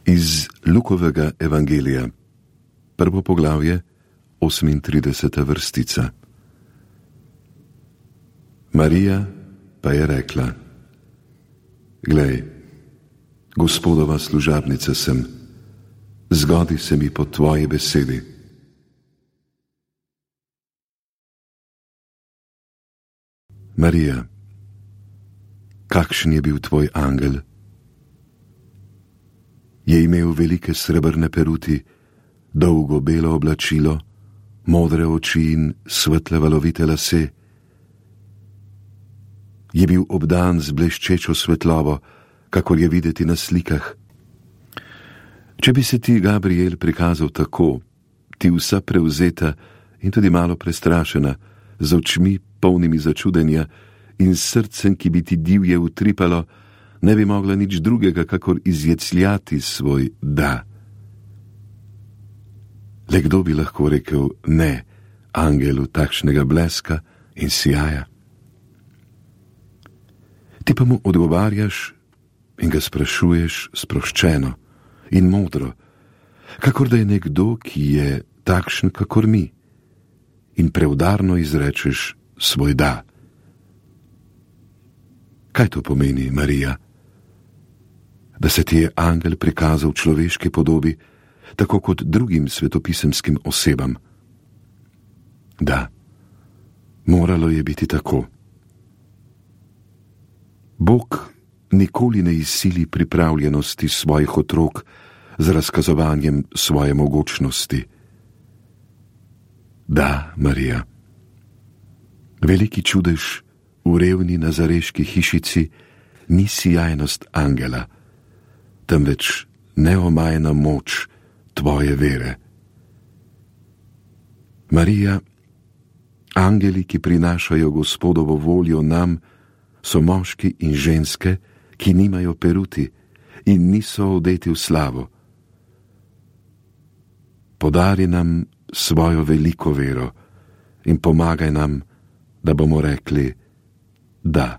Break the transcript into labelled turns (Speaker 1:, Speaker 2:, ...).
Speaker 1: Iz Lukovega evangelija, 1. poglavje, 38. vrstica. Marija pa je rekla: Glej, Gospodova služabnica sem, zgodi se mi po tvoji besedi. Marija, kakšen je bil tvoj angel? Je imel velike srebrne peruti, dolgo belo oblačilo, modre oči in svetle valovite lase. Je bil obdan z bleščečo svetlobo, kakor je videti na slikah. Če bi se ti, Gabriel, prikazal tako, ti vsa prevzeta in tudi malo prestrašena, z očmi polnimi začudenja in srcem, ki bi ti divje utripalo, ne bi mogla nič drugega, kakor izjecljati svoj da. Le kdo bi lahko rekel ne angelu takšnega bleska in sijaja? Ti pa mu odgovarjaš in ga sprašuješ sproščeno in modro, kakor da je nekdo, ki je takšen kakor mi, in preudarno izrečeš svoj da. Kaj to pomeni, Marija? Da se ti je angel prikazal v človeški podobi, tako kot drugim svetopisemskim osebam? Da, moralo je biti tako. Bog nikoli ne izsili pripravljenosti svojih otrok z razkazovanjem svoje mogočnosti. Da, Marija, veliki čudež v revni nazareški hišici ni sijajnost angela, temveč neomajna moč tvoje vere. Marija, angeli, ki prinašajo Gospodovo voljo nam, so moški in ženske, ki nimajo peruti in niso odeti v slavo. Podari nam svojo veliko vero in pomagaj nam, da bomo rekli da.